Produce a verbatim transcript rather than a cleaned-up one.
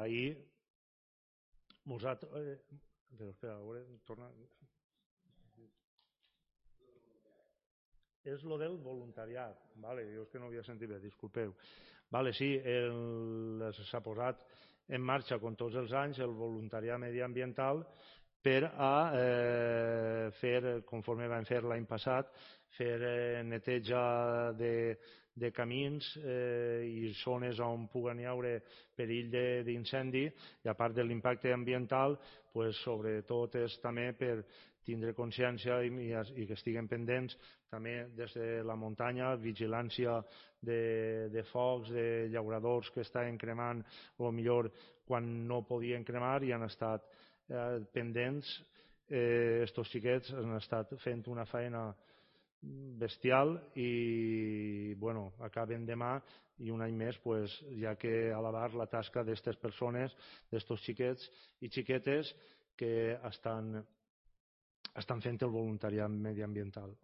ahir nosaltres... Però espera, a veure, torna... És lo del voluntariat, vale, jo és que no havia sentit bé, disculpeu. Vale, sí, s'ha posat en marxa, com tots els anys, el voluntariat mediambiental per a eh, fer, conforme vam fer l'any passat, fer eh, neteja de, de camins eh, i zones on puguen hi haure perill d'incendi, i a part de l'impacte ambiental, pues, sobretot és també per tindre consciència i, i que estiguen pendents també des de la muntanya, vigilància de, de focs, de llauradors que estaven cremant, o millor quan no podien cremar i han estat eh, pendents. Eh, estos xiquets han estat fent una feina bestial i bueno, acaben demà i un any més pues, ja que alabar la tasca d'aquestes persones, d'estos xiquets i xiquetes que estan, estan fent el voluntariat mediambiental.